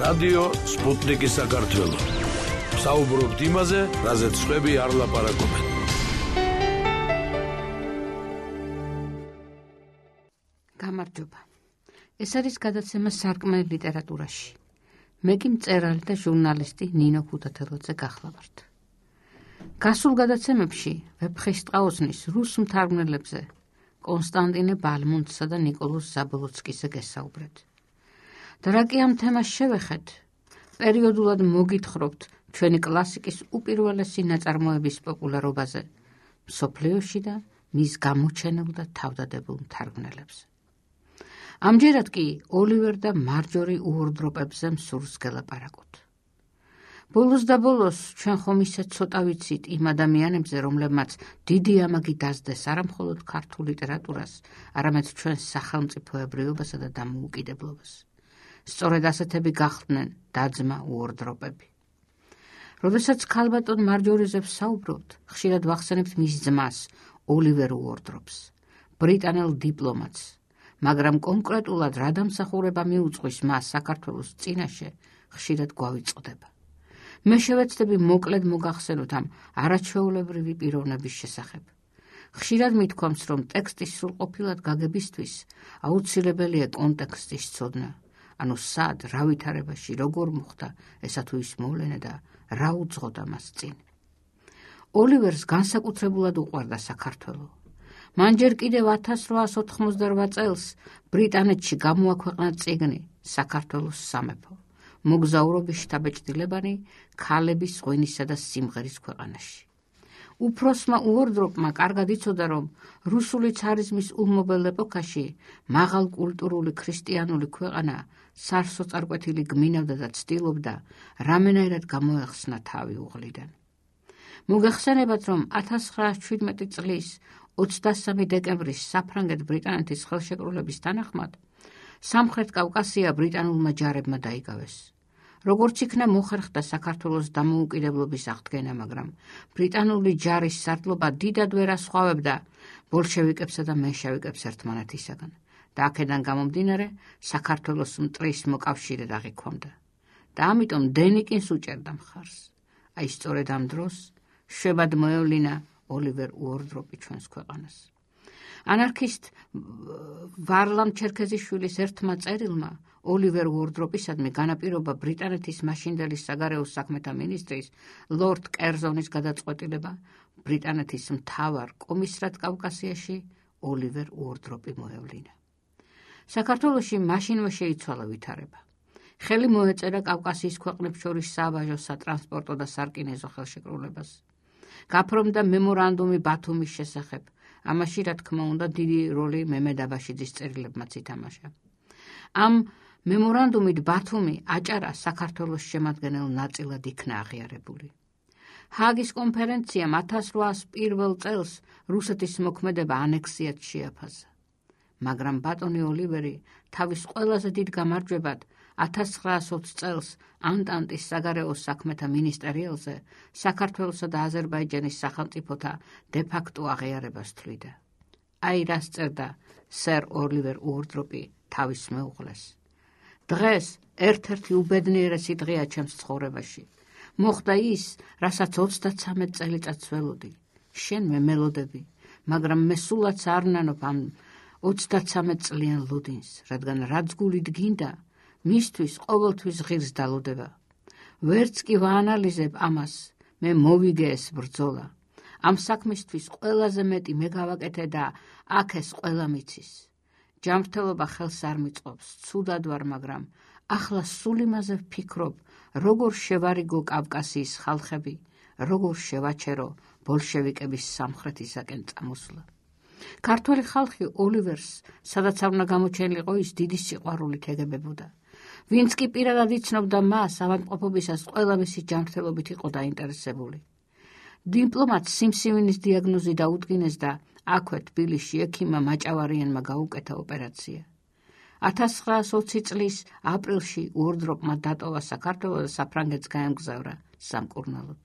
რადიო სპუტნიკი საქართველო. საუბრობთ იმაზე, რაზეც სხვები არ ლაპარაკობენ. გამარჯობა. ეს არის გადაცემა სარკმელი ლიტერატურაში. მე კი მწერალი და ჟურნალისტი ნინო ქუთათელაძე გახლავართ. გასულ გადაცემებში ვეფხისტყაოსნის რუს მთარგმნელებზე კონსტანტინე ბალმუნდსა და ნიკოლოზ ზაბოლოცკიზე გესაუბრეთ. და რა კი ამ თემას შევეხეთ, პერიოდულად მოგითხრობთ ჩვენი კლასიკის უპირველესი ნაწარმოების პოპულარობაზე მსოფლიოში და მის გამოჩენილ და თავდადებულ მთარგმნელებზე. ამჯერად კი ოლივერ და მარჯორი უორდროპებზე მსურს გელაპარაკოთ. ბოლოს და ბოლოს ჩვენ ხომ ისე ცოტა ვიცით იმ ადამიანებზე, რომლებმაც დიდი ამაგი დასდეს არა მხოლოდ ქართულ ლიტერატურას, არამედ ჩვენს სახელმწიფოებრიობასა და დამოუკიდებლობას. სწორედ ასეთები გახდნენ და-ძმა უორდროპები. როდესაც ქალბატონ მარჯორიზე ვსაუბრობთ, ხშირად ვახსენებთ მის ძმას, ოლივერ უორდროპს, ბრიტანელ დიპლომატს, მაგრამ კონკრეტულად რა დამსახურება მიუძღვის მას საქართველოს წინაშე, ხშირად გვავიწყდება. მე შევეცდები მოკლედ მოგახსენოთ ამ არაჩვეულებრივი პიროვნების შესახებ. ხშირად მithქვამს, რომ ტექსტის სრულყოფილად გაგებისთვის აუცილებელია კონტექსტის ცოდნა, ანუ სად, რა ვითარებაში, როგორ მოხდა ესა თუ ის მოვლენა და რა უძღოდა მას წინ. ოლივერს განსაკუთრებულად უყვარდა საქართველო. მან ჯერ კიდევ 1888 წელს ბრიტანეთში გამოაქვეყნა წიგნი საქართველოს სამეფო, მოგზაურობის შთაბეჭდილებანი ქალების ღვინისა და სიმღერის ქვეყანაში. უფროსმა უორდროპმა კარგად იცოდა, რომ რუსული ცარიზმის ულმობელ ეპოქაში მაღალ კულტურული ქრისტიანული ქვეყანა სარსოწარკვეთილი გმინავდა და ცდილობდა რამენაირად გამოეხსნა თავი უღლიდან. მოგეხსენებათ, რომ 1917 წლის 23 დეკემბრის საფრანგეთ-ბრიტანეთის ხელშეკრულების თანახმად სამხრეთ კავკასია ბრიტანულმა ჯარებმა დაიკავეს. როგორც იქნა მოხერხდა საქართველოს დამოუკიდებლობის აღდგენა, მაგრამ ბრიტანული ჯარის სარდლობა დიდად ვერ ასხვავებდა ბოლშევიკებსა და მენშევიკებს ერთმანეთისაგან და აქედან გამომდინარე საქართველოს მტრის მოკავშირედ აღიქვამდა. და ამიტომ დენიკინს უჭერდა მხარს. აი სწორედ ამ დროს შვებად მოევლინა ოლივერ უორდროპი ჩვენს ქვეყანას. ანარქისტ ვარლამ ჩერქეზიშვილის ერთმა წერილმა ოლივერ უორდროპისადმი განაპირობა ბრიტანეთის მაშინდელი საგარეო საქმეთა მინისტრის ლორდ კერზონის გადაწყვეტილება ბრიტანეთის მთავარ კომისრად კავკასიაში ოლივერ უორდროპი მოევლინა. საქართველოში მაშინვე შეიცვალა ვითარება. ხელი მოეწერა კავკასიის ქვეყნებს შორის სააბაჟო, სატრანსპორტო და სარკინეზო ხელშეკრულებას. გაფორმდა მემორანდუმი ბათუმის შესახებ. ამაში, რა თქმა უნდა, დიდი როლი მემედ აბაშიძის წერილებმაც ითამაშა. ამ მემორანდუმით ბათუმი აჭარა საქართველოს შემადგენელ ნაწილად იქნა აღიარებული. ჰააგის კონფერენციამ 1801 წელს რუსეთის მოქმედება ანექსიად შეაფასა. მაგრამ ბატონი ოლივერი თავის ყველაზე დიდ გამარჯვებად 1920 წელს ანტანტის საგარეო საქმეთა მინისტერიალზე საქართველოსა და აზერბაიჯანის სახელმწიფოთა დე-ფაქტო აღიარებას თვლიდა. აი რას წერდა სერ ოლივერ უორდროპი თავის მეუღლეს. დღეს ერთ-ერთი უბედნიერესი დღეა ჩემს ცხოვრებაში. მოხდა ის, რასაც 33 წელიწადს ველოდი. შენ მე მელოდები, მაგრამ მე სულაც არ ნანობ ამ 33 წლიან ლუდინს, რადგან რაც გულით გინდა, მისთვის ყოველთვის ღირს დალოდება. ვერც კი ვაანალიზებ ამას, მე მოვიგე ეს ბრძოლა. ამ საქმისთვის ყველაზე მეტი მე გავაკეთე და აქ ეს ყველა მიცის. ჯანმრთელობა ხელს არ მიწყობს, ცუდად ვარ, მაგრამ ახლა სულ იმაზე ვფიქრობ, როგორ შევარიგო კავკასიის ხალხები, როგორ შევაჩერო ბოლშევიკების სამხრეთისაკენ წამოსვლა. ქართველი ხალხი ოლივერს, სადაც არ უნდა გამოჩენილიყო, ის დიდი სიყვარულით ეგებებოდა. ვინც კი პირადად იცნობდა მას, ავადმყოფობისას ყველა მისი ჯანმრთელობით იყო დაინტერესებული. დიპლომატს სიმსივნის დიაგნოზი დაუდგინეს და აქვე თბილისში ექიმმა მაჭავარიანმა გაუკეთა ოპერაცია. 1920 წლის აპრილში უორდროპმა დატოვა საქართველო და საფრანგეთს გაემგზავრა სამკურნალოდ.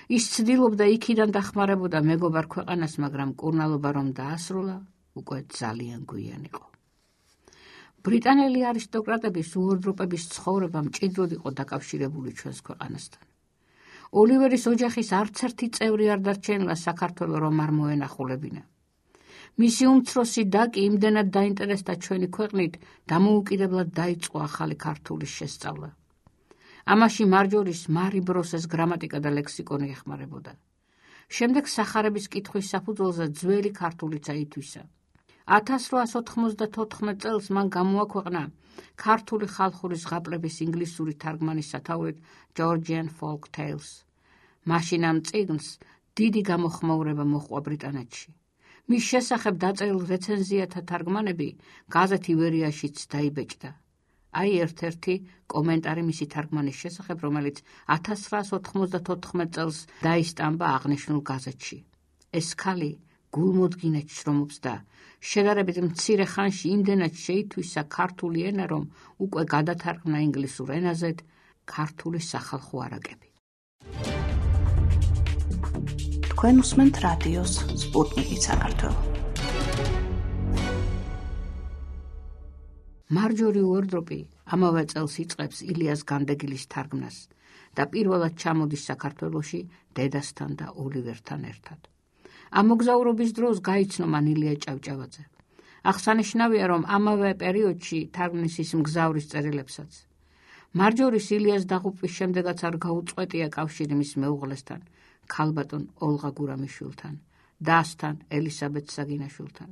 ის ცდილობდა იქიდან დახმარებოდა მეგობარ ქვეყანას, მაგრამ კურნალობა რომ დაასრულა, უკვე ძალიან გვიან იყო. ბრიტანელი არისტოკრატების უორდროპების ცხოვრება მჭიდროდ იყო დაკავშირებული ჩვენს ქვეყანასთან. ოლივერის ოჯახის არც ერთი წევრი არ დარჩენილა საქართველოს რომ არ მოენახულებინა. მისი უმცროსი და კი იმდენად დაინტერესდა ჩვენი ქვეყნით, დამოუკიდებლად დაიწყო ახალი ქართულის შესწავლა. ამაში მარჯორის მარი ბროსეს გრამატიკა და ლექსიკონი ეხმარებოდა. შემდეგ სახარების კითხვის საფუძველზე ძველი ქართულიც აითვისა. 1894 წელს მან გამოაქვეყნა ქართული ხალხური ზღაპრების ინგლისური თარგმანის სათაურით Georgian Folk Tales. მაშინ ამ წიგნს დიდი გამოხმაურება მოჰყვა ბრიტანეთში. მის შესახებ დაწერილ რეცენზიათა თარგმანები გაზეთი ვერიაშიც დაიბეჭდა. აი ერთ-ერთი კომენტარი მისი თარგმანის შესახებ, რომელიც 1994 წელს დაისტამბა აღნიშნულ გაზეთში. ეს ქალი გულმოდგინედ შრომობს და შედარებით მცირე ხანში იმდენად შეითვისა ქართული ენა, რომ უკვე გადათარგმნა ინგლისურ ენაზე ქართული სახალხო არაკები. თქვენ უსმენთ რადიოს სპუტნიკი საქართველო. მარჯორი უორდროპი ამავე წელს იწყებს ილიას განდეგილის თარგმნას და პირველად ჩამოდის საქართველოში დედასთან და ოლივერთან ერთად. ამ მოგზაურობის დროს გაიცნო მან ილია ჭავჭავაძე. აღსანიშნავია, რომ ამავე პერიოდში თარგმნის ის მგზავრის წერილებსაც. მარჯორის ილიას დაღუპვის შემდეგაც არ გაუწყვეტია კავშირი მის მეუღლესთან, ქალბატონ ოლღა გურამიშვილთან, დასთან ელისაბედ საგინაშვილთან.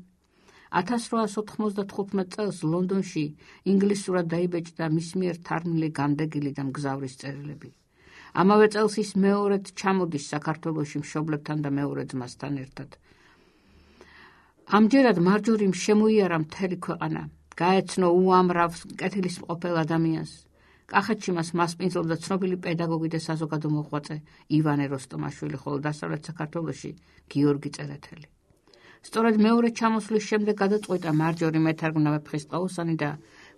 1895 წელს ლონდონში ინგლისურად დაიბეჭდა მის მიერ თარგმნილი განდეგილი და მგზავრის წერილები. ამავე წელს ის მეორედ ჩამოდის საქართველოში მშობლებთან და მეორე ძმასთან ერთად. ამჯერად მარჯორიმ შემოიარა მთელი ქვეყანა, გაეცნო უამრავ კეთილისმყოფელ ადამიანს. კახეთში მას მასპინძლობდა ცნობილი პედაგოგი და საზოგადო მოღვაწე ივანე როსტომაშვილი, ხოლო დასავლეთ საქართველოში გიორგი წერეთელი. სწორედ მეორე ჩამოსვლის შემდეგ გადაწყვიტა მარჯორი მეთარგმნა ვეფხისტყაოსანი და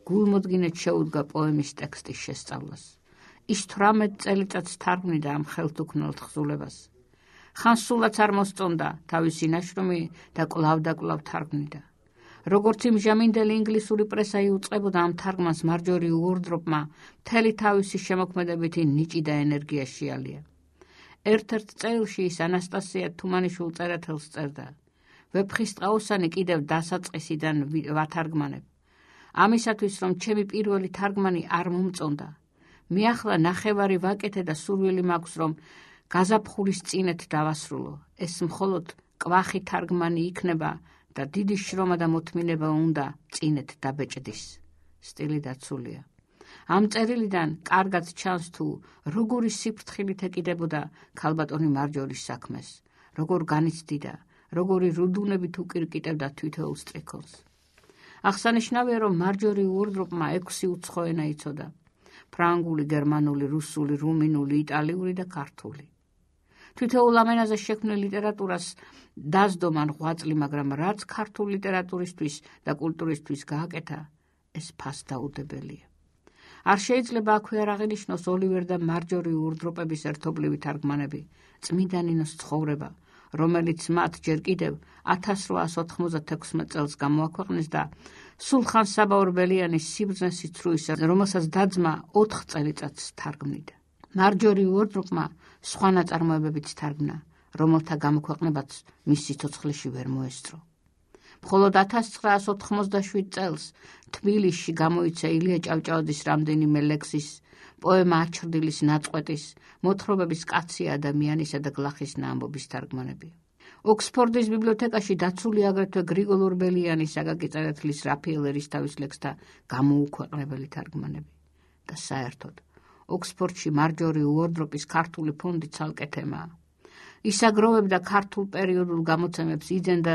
გულმოდგინედ შეუდგა პოემის ტექსტის შესწავლას. ის 18 წელიწადს თარგმნიდა ამ ხელთუქმნელ თხზულებას. ხანს სულაც არ მოსწონდა თავისი ნაშრომი და კვლავ და კვლავ თარგმნიდა. როგორც იმჟამინდელი ინგლისური პრესა იუწყებოდა ამ თარგმანს, მარჯორი უორდროპმა მთელი თავისი შემოქმედებითი ნიჭი და ენერგია შეალია. ერთ-ერთ წერილში ის ანასტასია თუმანიშვილ წერეთელს წერდა: ვეფხისტყაოსანი კიდევ დასაწყისიდან ვათარგმანებ. ამისათვის, რომ ჩემი პირველი თარგმანი არ მომწონდა. მე ახლა ნახევარი ვაკეთე და სურვილი მაქვს, რომ გაზაფხულის წინეთ დავასრულო. ეს მხოლოდ კვახი თარგმანი იქნება და დიდი შრომა და მოთმინება უნდა წინეთ დაბეჭდის. სტილი დაცულია. ამ წერილიდან კარგად ჩანს თუ როგორი სიფრთხილით ეკიდებოდა ქალბატონი მარჯორის საქმეს, როგორ განიცდიდა, როგორი რუდუნებით უკირკიტებდა თითოეულ სტრიქონს. აღსანიშნავია, რომ მარჯორი უორდროპმა 6 უცხო ენა იცოდა: ფრანგული, გერმანული, რუსული, რუმინული, იტალიური და ქართული. თითოეულ ამ ენაზე შექმნილ ლიტერატურას დასდო მან ღვაწლი, მაგრამ რაც ქართული ლიტერატურისთვის და კულტურისთვის გააკეთა, ეს ფასდაუდებელია. არ შეიძლება აქვე არ აღინიშნოს ოლივერ და მარჯორი უორდროპების ერთობლივი თარგმანები, წმიდა ნინოს ცხოვრება, რომელიც მათ ჯერ კიდევ 1896 წელს გამოაქვეყნეს და სულხან საბა ორბელიანის სიბრძნე სიცრუისა, რომელსაც დაძმა 4 წელიწადს თარგმნიდა. მარჯორი უორდროპმა სხვა ნაწარმოებებიც თარგმნა, რომელთა გამოქვეყნებაც მის სიცოცხლეში ვერ მოესწრო. მხოლოდ 1997 წელს თბილისში გამოიცა ილია ჭავჭავაძის რამდენიმე ლექსის, პოემა აჩრდილის ნაწყვეტის, მოთხრობების კაცი ადამიანისა და გლახის ნაამბობის თარგმანები. ოქსფორდის ბიბლიოთეკაში დაცული აგრეთვე გრიგოლ ორბელიანის, აკაკი წერეთლის, რაფაელ ერისთავის ლექსთა გამოუქვეყნებელი თარგმანები. და საერთოდ ოქსფორდში მარჯორი უორდროპის ქართული ფონდი ცალკე თემაა. ის აგროვებდა ქართულ პერიოდულ გამოცემებს, იძენდა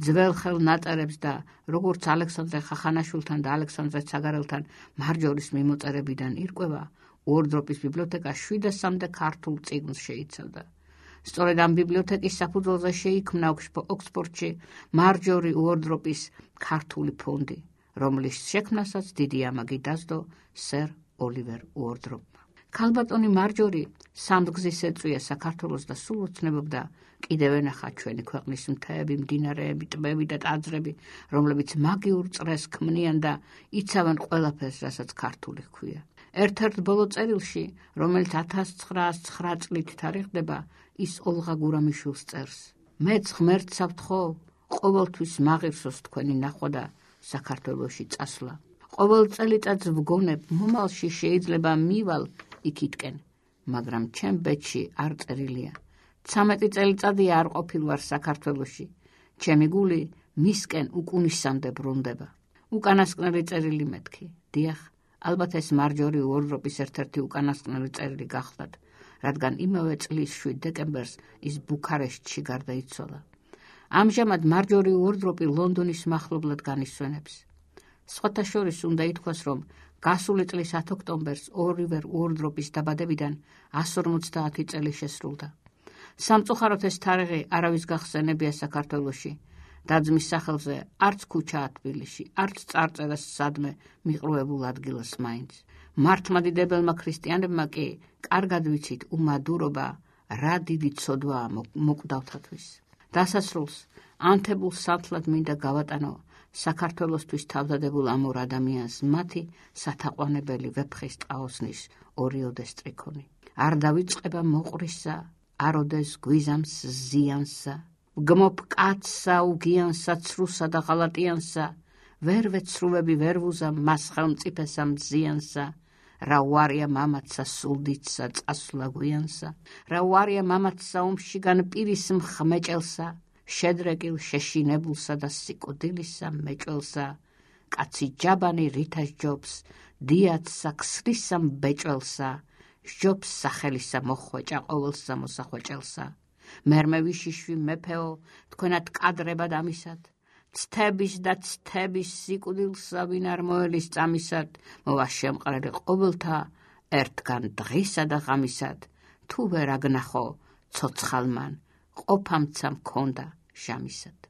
ძველხელ ნაწერებს და როგორც ალექსანდრე ხახანაშვილთან და ალექსანდრე ცაგარელთან მარჯორის მიმოწერებიდან ირკვევა, უორდროპის ბიბლიოთეკა 700-მდე ქართულ წიგნს შეიცავდა. სწორედ ამ ბიბლიოთეკის საფუძველზე შეიქმნა ოქსფორდში მარჯორი უორდროპის ქართული ფონდი, რომლის შექმნასაც დიდი ამაგი დასდო სერ ოლივერ უორდროპმა. ქალბატონი მარჯორი სამდღზის ეწვია საქართველოს და სულ ოცნებობდა კიდევ ენახა ჩვენი ქვეყნის მთები, მდინარეები, ტბები და ტაძრები, რომლებიც მაგიურ წრეს ქმნიან და იცავენ ყველაფერს, რასაც ქართული ჰქვია. ერთ-ერთ ბოლო წერილში, რომელიც 1909 წლით თარიღდება, ის ოლღა გურამიშვილს წერს. მეც ღმერთს ავთხოვ, ყოველთვის მაღირსოს თქვენი ნახვა და საქართველოში წასვლა. ყოველ წელიწადს ვგონებ, მომავალში შეიძლება მივალ იქითკენ, მაგრამ ჩემ ბედში არ წერილია. 13 წელიწადია არ ყოფილ ვარ საქართველოში. ჩემი გული მისკენ უკუნისამდე ბრუნდება. უკანასკნელი წერილი მეთქი. დიახ, ალბათ ეს მარჯორი უორდროპის ერთ-ერთი უკანასკნელი წერილი გახლდათ, რადგან იმავე წლის 7 დეკემბერს ის ბუქარესტში გარდაიცვალა. ამჟამად მარჯორი უორდროპი ლონდონის მახლობლად განისვენებს. სხვათა შორის უნდა ითქვას, რომ გასული წლის 10 ოქტომბერს ოლივერ უორდროპის დაბადებიდან 150 წელი შესრულდა. სამწუხაროდ ეს თარიღი არავის გახსენებია საქართველოში. დაძმის სახელზე არც ქუჩაა თბილისში, არც წარწერა სადმე მიყრუებულ ადგილას მაინც. მართლმადიდებელმა ქრისტიანებმა კი კარგად ვიცით უმადურობა რა დიდი ცოდვაა მოკვდავთათვის. დასასრულს ანთებულ სათლად მინდა გავატანო საქართველოსთვის თავდადებულ ამორ ადამიანს მათი სათაყვანებელი ვეფხის ტყაოსნის ორიოდე სტრიქონი. არ დავიწყება მოყრისა, აროდეს გვიზამს ზიანსა, გმობ კაცსა უგიანსა, ცრუსა და ღალატიანსა, ვერ ვეცრუები ვერ ვუზამ მას ხელმწიფესა მზიანსა, რა უარია მამაცსა სულდიცსა წასვლა გვიანსა, რა უარია მამაცსა ომშიგან პირის მხმეჭელსა, შედრეკილ შეშინებულსა და სიკვდილისა მეჭველსა, კაცი ჯაბანი რითას ჯობს, დიაცსა ქსრისა მბეჭველსა, სჯობს სახელისა მოხვეჭა ყოველსა მოსახვეჭელსა. მერმე ვიშიშვი მეფეო, თქვენად კადრებად ამისად, ცთების და ცთების სიკვდილსა ვინ არ მოელის წამისად, მოვა შემყრელი ყოველთა ერთგან დღისა და ღამისად, თუ ვერ აგნახო ცოცხალმან ყოფამცა მქონდა ჟამისად.